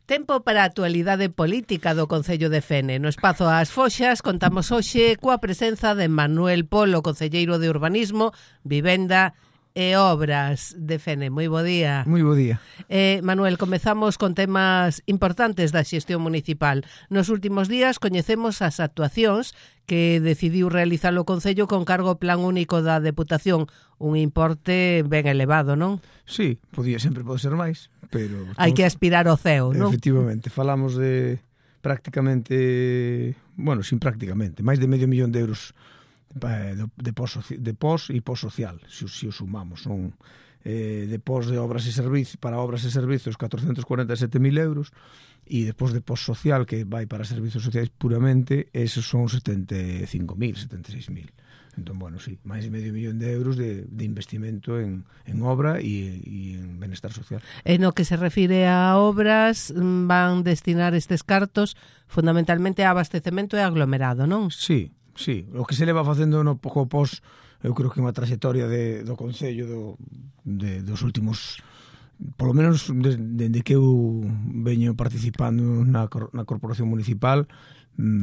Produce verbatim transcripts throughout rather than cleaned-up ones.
Tempo para a actualidade política do Concello de Fene. No espazo As Foxas contamos hoxe coa presenza de Manuel Polo, concelleiro de Urbanismo, Vivenda e Obras de Fene. Moi bo día. Moi bo día. Eh, Manuel, comezamos con temas importantes da xestión municipal. Nos últimos días coñecemos as actuacións que decidiu realizar o Concello con cargo ao Plan Único da Deputación, un importe ben elevado, non? Sí, podía, sempre pode ser máis, pero... Hai que aspirar ao ceo, non? Efectivamente, falamos de prácticamente, bueno, sin prácticamente, máis de medio millón de euros de, de, pos, de pos e pos social, se, se o sumamos, son eh, de pos de obras e servicios, para obras e servicios catrocentos cuarenta e sete mil euros, e despois de pos social, que vai para servicios sociais puramente, esos son setenta e cinco mil, setenta e seis mil. Entón, bueno, sí, máis de medio millón de euros de, de investimento en, en obra e, e en benestar social. E no que se refire a obras, van destinar estes cartos fundamentalmente a abastecemento e aglomerado, non? Sí, sí. O que se leva facendo no pouco pos, eu creo que é unha trayectoria de, do Concello do, de, dos últimos... Polo menos dende que eu veño participando na, na Corporación Municipal,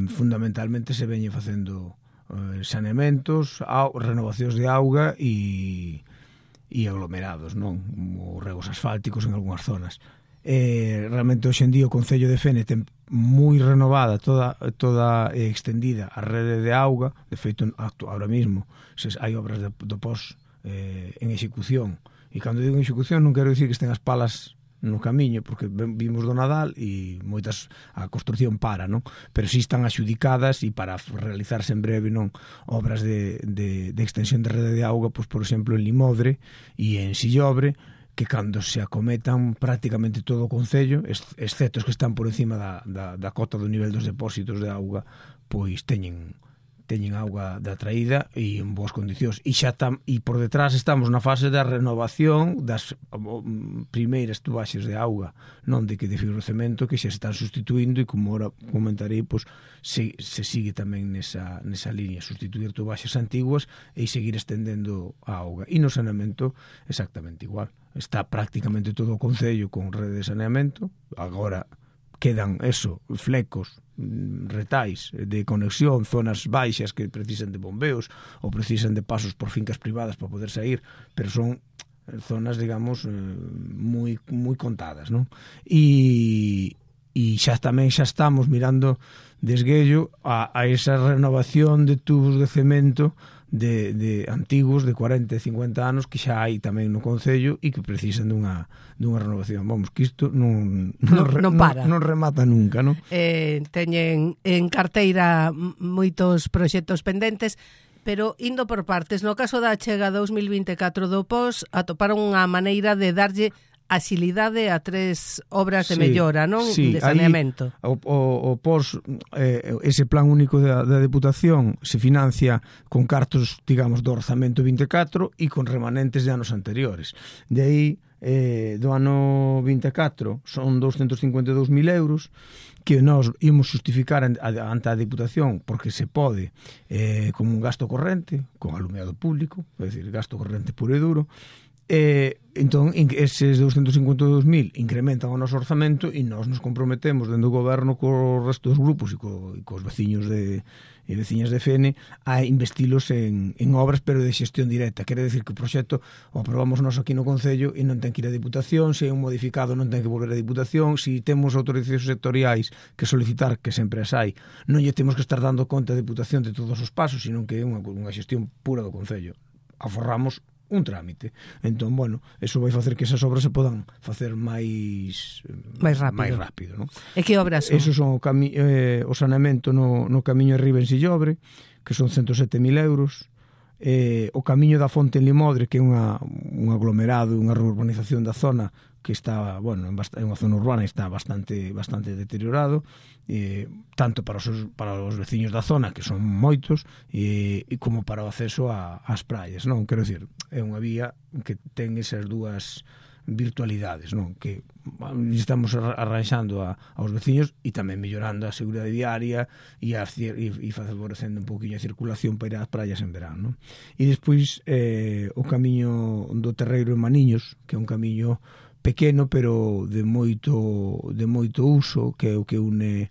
fundamentalmente se veñe facendo eh, saneamentos, au, renovacións de auga e, e aglomerados, non? Os regos asfálticos en algunhas zonas. Eh, realmente hoxe en día o Concello de Fene ten moi renovada toda toda eh, extendida a rede de auga. De feito, ahora mesmo hai obras de, do pos eh, en execución. E cando digo execución non quero dicir que estén as palas no camiño, porque vimos do Nadal e moitas a construción para, non? Pero si están axudicadas e para realizarse en breve, non, obras de, de, de extensión de rede de auga, pois, por exemplo, en Limodre e en Sillobre, que cando se acometan prácticamente todo o Concello, excepto os que están por encima da, da, da cota do nivel dos depósitos de auga, pois teñen teñen auga da traída e en boas condicións. E xa tam, e por detrás estamos na fase da renovación das primeiras tubaxes de auga, non de que de fibrocemento, que xa se están sustituindo, e como ora comentarei, pois se, se sigue tamén nesa, nesa línea, sustituir tubaxes antiguas e seguir estendendo a auga. E no saneamento exactamente igual. Está prácticamente todo o Concello con rede de saneamento. Agora quedan eso, flecos, retais de conexión, zonas baixas que precisan de bombeos ou precisan de pasos por fincas privadas para poder sair, pero son zonas, digamos, moi moi contadas, non? E e xa tamén xa estamos mirando de esguello a, a esa renovación de tubos de cemento de, de antigos de cuarenta e cincuenta anos que xa hai tamén no Concello e que precisan dunha, dunha renovación. Vamos, que isto non, non, non, non, para. non, non remata nunca, non? Eh, teñen en carteira moitos proxectos pendentes, pero indo por partes, no caso da Achega dous mil vinte e catro do Pos, atoparon unha maneira de darlle axilidade a tres obras de sí, mellora, non? Sí, de saneamento. Aí, o, o, o pos, eh, ese plan único da, da Deputación se financia con cartos, digamos, do orzamento vinte e catro e con remanentes de anos anteriores. De aí, eh, do ano vinte e catro son doscientos cincuenta e dous mil euros que nós ímos justificar ante a Deputación porque se pode eh, como un gasto corrente, con alumeado público, é dicir, gasto corrente puro e duro. Eh, entón, eses doscientos cincuenta e dous mil incrementan o noso orzamento e nós nos comprometemos dentro do goberno co resto dos grupos e, co, e cos veciños de, e veciñas de Fene a investilos en, en obras, pero de xestión directa. Quere decir que o proxecto o aprobamos nós aquí no Concello e non ten que ir a Diputación, se é un modificado non ten que volver a Diputación, se temos autorizacións sectoriais que solicitar, que sempre as hai, non lle temos que estar dando conta a Diputación de todos os pasos, sino que é unha, unha xestión pura do Concello. Aforramos un trámite. Entón, bueno, eso vai facer que esas obras se podan facer máis máis rápido, máis rápido, non? E que obras son? Esos son o, cami- eh, o saneamento no, no camiño arriba en Sillobre, que son ciento sete mil euros, eh, o camiño da Fonte en Limodre, que é unha, un aglomerado, unha reurbanización da zona que está, bueno, en, bast- en unha zona urbana está bastante bastante deteriorado, eh, tanto para os, para os veciños da zona, que son moitos, e, e como para o acceso a, ás praias, non? Quero dicir, é unha vía que ten esas dúas virtualidades, non? Que estamos arranxando a, aos veciños e tamén mellorando a seguridade viaria e, a, e, e favorecendo un poquinho a circulación para ir ás praias en verán, non? E despois eh, o camiño do Terreiro en Maniños, que é un camiño pequeno, pero de moito de moito uso, que é o que une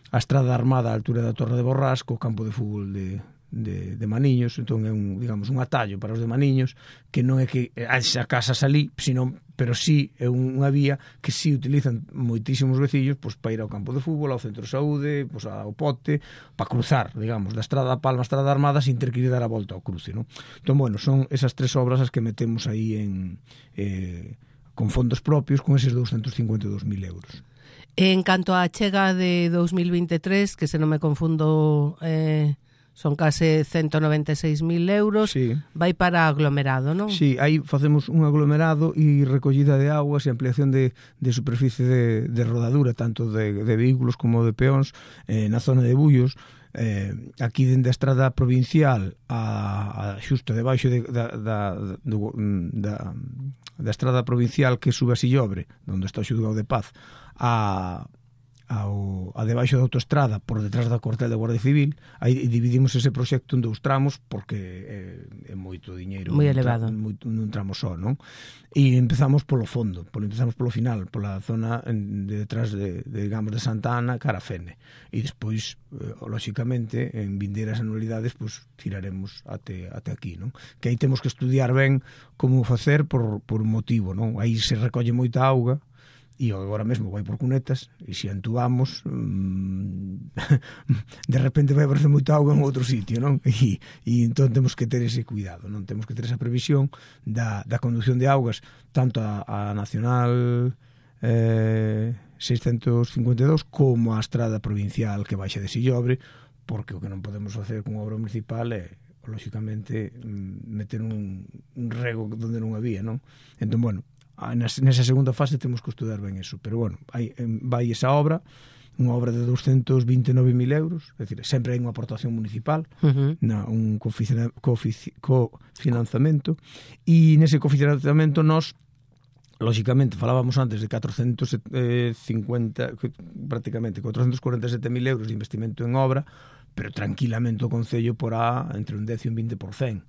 a Estrada Armada á altura da Torre de Borrasco, o campo de fútbol de, de, de Maniños. Entón é un, digamos, un atallo para os de Maniños, que non é que haxa casas ali, sino, pero sí é unha vía que sí utilizan moitísimos veciños, pois, para ir ao campo de fútbol, ao centro de saúde, pois, ao Pote, para cruzar, digamos, da Estrada da Palma a Estrada Armada sin ter que ir dar a volta ao cruce, non? Entón, bueno, son esas tres obras as que metemos aí en eh, con fondos propios, con eses doscientos cincuenta e dous mil euros. En canto á chega de dous mil veintitrés, que se non me confundo, eh, son case ciento noventa e seis mil euros, sí, vai para aglomerado, non? Sí, aí facemos un aglomerado e recollida de augas e ampliación de, de superficie de, de rodadura, tanto de, de vehículos como de peóns, eh, na zona de Bullos. Eh, aquí dende a estrada provincial a, a xusto debaixo de, da, da, da, da estrada provincial que sube a Sillobre, onde está o xulgado de Paz, a, ao, a debaixo da autoestrada por detrás da cuartel de Guardia Civil. Aí dividimos ese proxecto en dous tramos porque é, é moito diñeiro, moi elevado, nun, nun tramo só, non? E empezamos polo fondo, polo, empezamos polo final, pola zona de detrás de, de digamos, de Santa Ana, cara a Fene, e despois, eh, lóxicamente, en vindeiras anualidades, pues, tiraremos até, até aquí, non? Que aí temos que estudiar ben como facer por, por un motivo, non? Aí se recolle moita auga, e agora mesmo vai por cunetas, e se entubamos, mmm, de repente vai aparecer moita auga en outro sitio, non? E, e entón temos que ter ese cuidado, non? Temos que ter esa previsión da, da conducción de augas, tanto a, a Nacional eh, seiscentos cincuenta e dous como a estrada provincial que baixa de Sillobre, porque o que non podemos facer con obra municipal é, lóxicamente, meter un, un rego onde non había, non? Entón, bueno, nesa segunda fase temos que estudar ben eso, pero bueno, hai, vai esa obra, unha obra de doscientos vinte e nove mil euros, é dicir, sempre hai unha aportación municipal, uh-huh. na, un cofinanciamento, e nese cofinanciamento nós, lóxicamente, falábamos antes de catrocentos cincuenta, prácticamente catrocentos cuarenta e sete mil euros de investimento en obra, pero tranquilamente o Concello porá entre un dez e un vinte por cento.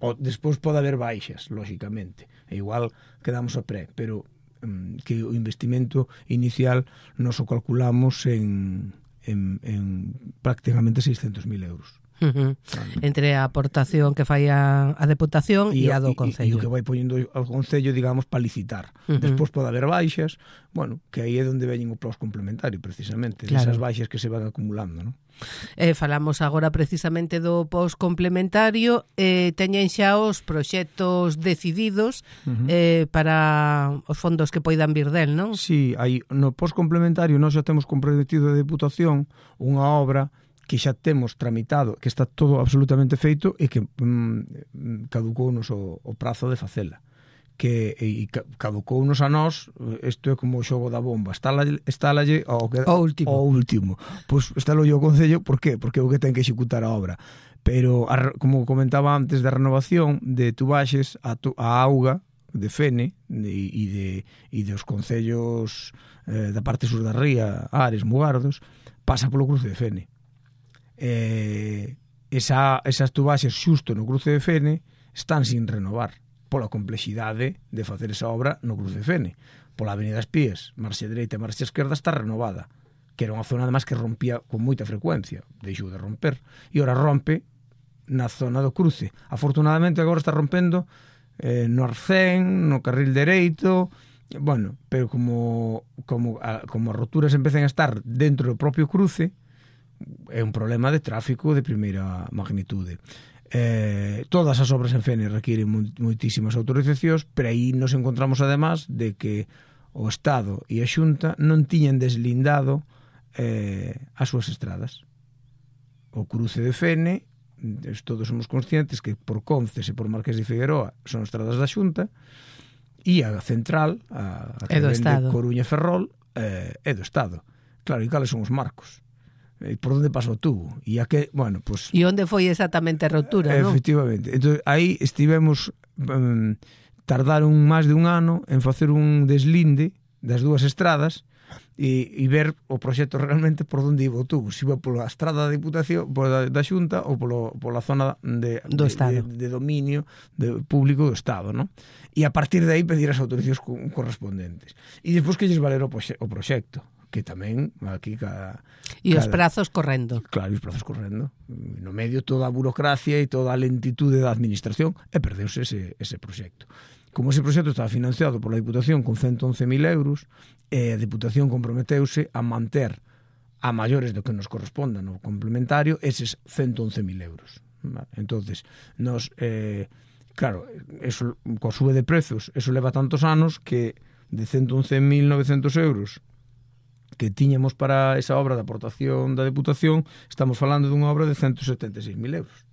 O, despois pode haber baixas, lóxicamente, e igual quedamos a pré, pero um, que o investimento inicial nos o calculamos en, en, en prácticamente seiscentos mil euros. Uh-huh. Vale. Entre a aportación que fai a, a Deputación e a do Concello. E o que vai poñendo ao Concello, digamos, para licitar. Uh-huh. Despois pode haber baixas, bueno, que aí é onde veñen o plus complementario, precisamente, claro. Esas baixas que se van acumulando, non? Eh, falamos agora precisamente do post complementario, eh, teñen xa os proxectos decididos, uh-huh. eh, para os fondos que poidan vir del, non? Sí, aí no post complementario nós xa temos comprometido de Deputación unha obra que xa temos tramitado, que está todo absolutamente feito e que mm, caducounos o, o prazo de facela, que e caducounos a nós. Isto é como o xogo da bomba, estálalle ao, que, o último, o último. Pois estálo yo o Concello, por qué? Porque é o que ten que executar a obra, pero a, como comentaba antes da renovación de Tubaxes a, a auga de Fene e, e de e dos concellos eh, da parte sur da ría, Ares, Mugardos, pasa polo cruce de Fene. Eh, esa, esas tubaxes xusto no cruce de Fene están sin renovar pola complexidade de facer esa obra no cruce de Fene. Pola Avenida Espíes, marxa dereita e marxa esquerda, está renovada, que era unha zona además que rompía con moita frecuencia, deixou de romper, e ora rompe na zona do cruce. Afortunadamente agora está rompendo eh, no Arcén, no carril dereito, bueno, pero como, como, a, como as roturas empezan a estar dentro do propio cruce, é un problema de tráfico de primeira magnitude. Eh, todas as obras en Fene requiren moitísimas autorizacións, pero aí nos encontramos además de que o Estado e a Xunta non tiñan deslindado eh, as súas estradas. O cruce de Fene, todos somos conscientes que por Conces e por Marqués de Figueroa son estradas da Xunta, e a central, a, a que vende Coruña Ferrol, eh, é do Estado. Claro, e cales son os marcos? Por onde pasa o tubo? E a que, bueno, pues, e onde foi exactamente a rotura, non? Efectivamente. Entón, aí estivemos, um, tardaron máis de un ano en facer un deslinde das dúas estradas, e, e ver o proxecto realmente por onde iba o tubo, se iba pola estrada da Diputación, pola da Xunta ou polo, pola zona de, do de, Estado. de, de dominio de público do Estado, non? E a partir de aí pedir as autorizacións correspondentes. E despois que lles valer o, proxe, o proxecto, que tamén aquí cada... E os cada, prazos correndo. Claro, e os prazos correndo. No medio toda a burocracia e toda a lentitude da administración e perdeuse ese, ese proxecto. Como ese proxecto estaba financiado por la Diputación con ciento once mil euros, e a Diputación comprometeuse a manter a maiores do que nos corresponda no complementario eses ciento once mil euros. Vale? Entonces, nos, eh, claro, eso, coa sube de prezos, eso leva tantos anos que de ciento once mil novecentos euros que tiñamos para esa obra de aportación da Diputación, estamos falando dunha obra de ciento setenta e seis mil euros.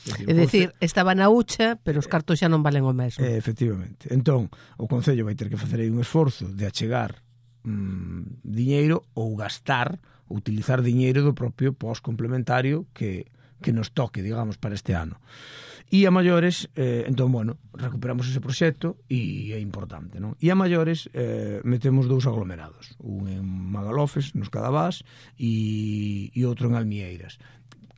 É dicir, estaba na hucha, pero os cartos xa non valen o mesmo. Eh, efectivamente. Entón, o Concello vai ter que facer aí un esforzo de achegar mm, diñeiro ou gastar, ou utilizar diñeiro do propio post-complementario que, que nos toque, digamos, para este ano. E a maiores, eh, entón, bueno, recuperamos ese proxecto e é importante, non? E a maiores eh, metemos dous aglomerados, un en Magalofes, nos Cadavás, e, e outro en Almieiras.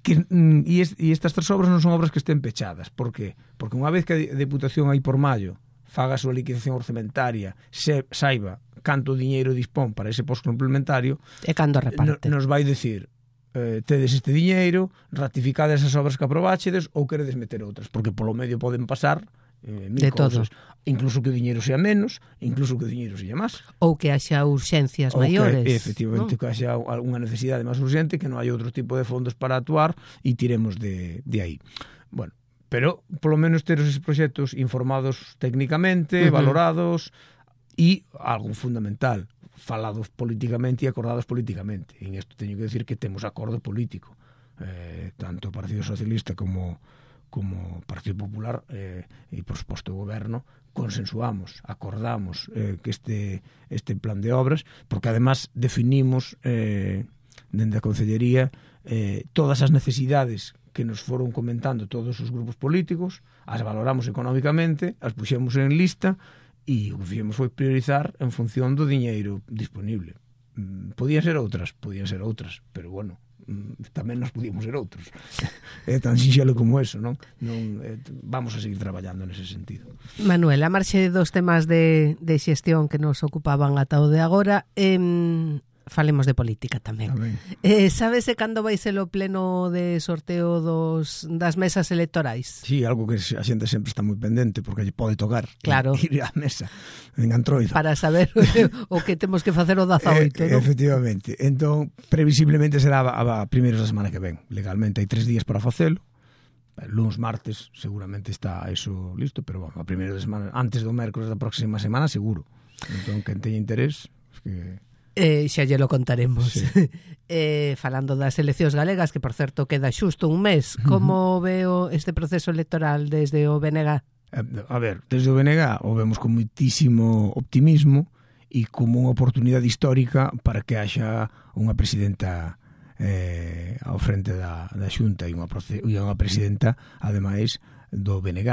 Que, e, es, e estas tres obras non son obras que estén pechadas. Por que? Porque unha vez que a Deputación aí por maio faga a súa liquidación orzamentaria, se saiba canto diñeiro dispón para ese post complementario, e cando reparte. No, nos vai dicir, eh, tedes este diñeiro, ratificades as obras que aprobachedes ou queredes meter outras, porque polo medio poden pasar eh, mil de cousas. Todo. Incluso que o diñeiro sea menos, incluso que o diñeiro sea máis. Ou que haxa urxencias ou maiores. Que, efectivamente, ¿no? Que haxa algunha necesidade máis urgente, que non hai outro tipo de fondos para actuar e tiremos de, de aí. Bueno, pero polo menos ter esos proxectos informados técnicamente, uh-huh. valorados e algo fundamental, falados políticamente e acordados políticamente. En isto teño que decir que temos acordo político. Eh, tanto o Partido Socialista como como Partido Popular eh, e, por suposto, o Goberno, consensuamos, acordamos eh, que este, este plan de obras, porque, además, definimos eh, dende a Concellería eh, todas as necesidades que nos foron comentando todos os grupos políticos, as valoramos económicamente, as puxemos en lista e o que fixemos foi priorizar en función do diñeiro disponible. Podían ser outras, podían ser outras, pero, bueno, tamén nos podíamos ser outros. É tan sinxelo como eso, non? non eh, vamos a seguir traballando nese sentido. Manuel, a marxe dos temas de, de xestión que nos ocupaban ata o de agora, eh, falemos de política tamén. tamén. Eh, sabese cando vai ser o pleno de sorteo dos, das mesas electorais? Sí, algo que a xente sempre está moi pendente, porque lle pode tocar claro. ir á mesa en Antroido. Para saber o que temos que facer o dezaoito, eh, non? Efectivamente. Entón, previsiblemente será a, a primeiros da semana que ven. Legalmente hai tres días para facelo. Luns, martes, seguramente está eso listo, pero bueno, a primeiro de semana, antes do mércoles da próxima semana, seguro. Entón, quen teña interés, que... Eh, xa lle lo contaremos. Sí. eh, falando das eleccións galegas, que por certo queda xusto un mes, como uh-huh. veo este proceso electoral desde o B N G? A ver, desde o B N G o vemos con moitísimo optimismo e como unha oportunidade histórica para que haxa unha presidenta eh, ao frente da, da Xunta e unha, e unha presidenta, ademais, do B N G.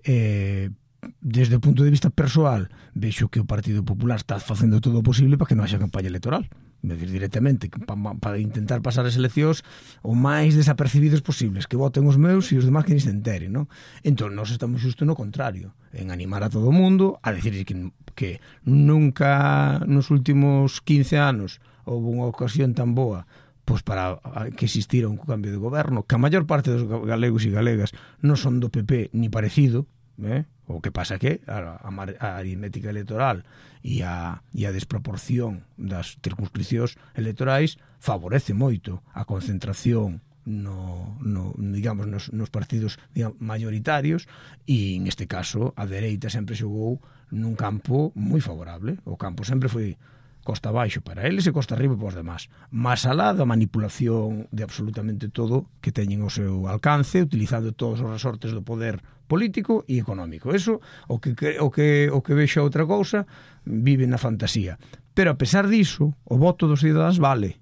Eh, desde o punto de vista persoal, vexo que o Partido Popular está facendo todo o posible para que non haxa campaña electoral. Me dir directamente, para, para intentar pasar as eleccións o máis desapercibidos posibles, que voten os meus e os demás que ni se enteren, non? Entón, nós estamos xusto no contrario, en animar a todo o mundo, a decir que, que nunca nos últimos quince anos houve unha ocasión tan boa pois para que existira un cambio de goberno, que a maior parte dos galegos e galegas non son do P P ni parecido, eh? O que pasa que a, a, a aritmética electoral e a, e a desproporción das circunscripcións electorais favorece moito a concentración no, no, digamos, nos, nos partidos digamos, mayoritarios, e en este caso a dereita sempre xogou nun campo moi favorable. O campo sempre foi costa abaixo para eles e costa arriba para os demás, máis alá da manipulación de absolutamente todo que teñen o seu alcance, utilizando todos os resortes do poder político e económico. Eso, o que, o que, o que vexa outra cousa, vive na fantasía. Pero a pesar diso, o voto dos cidadáns vale.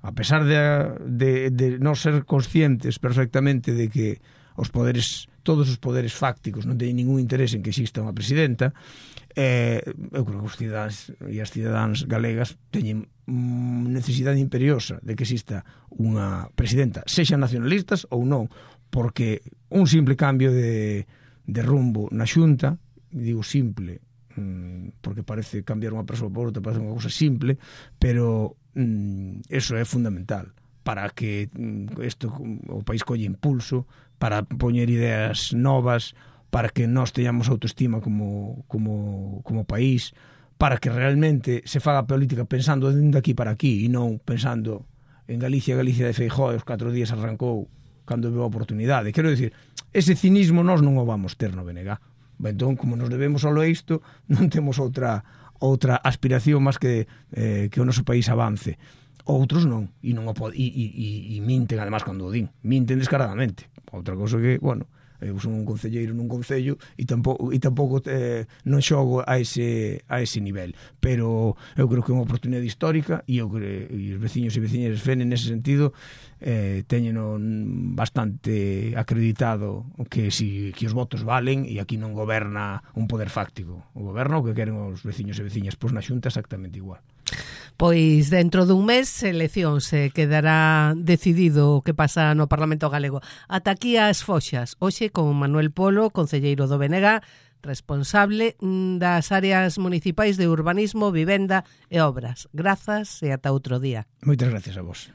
A pesar de, de, de non ser conscientes perfectamente de que os poderes, todos os poderes fácticos non teñen ningún interés en que exista unha presidenta. Eh, eu creo que os cidadáns e as cidadáns galegas teñen necesidade imperiosa de que exista unha presidenta, sexan nacionalistas ou non, porque un simple cambio de, de rumbo na Xunta, digo simple porque parece cambiar unha persoa por outra, parece unha cousa simple, pero mm, eso é fundamental para que isto, o país colle impulso, para poñer ideas novas, para que nós teñamos autoestima como, como, como país, para que realmente se faga política pensando de aquí para aquí e non pensando en Galicia, Galicia de Feijóo, os catro días arrancou cando veo a oportunidade. Quero dicir, ese cinismo nós non o vamos ter no B N G. Entón, como nos debemos solo a isto, non temos outra outra aspiración máis que eh, que o noso país avance. Outros non, e non o pod... e, e, e, e minten, además, cando o din. Minten descaradamente. Outra cousa que, bueno, eu son un concelleiro nun concello e tampouco, e tampouco eh, non xogo a ese, a ese nivel. Pero eu creo que é unha oportunidade histórica e eu creo, e os veciños e veciñas de Fene nese sentido eh, teñen bastante acreditado que, si, que os votos valen e aquí non goberna un poder fáctico. O goberna o que queren os veciños e veciñas, pois na Xunta exactamente igual. Pois dentro dun mes eleccións se quedará decidido o que pasa no Parlamento Galego. Ata aquí as foxas. Hoxe con Manuel Polo, concelleiro do B N G, responsable das áreas municipais de urbanismo, vivenda e obras. Grazas e ata outro día. Moitas gracias a vos.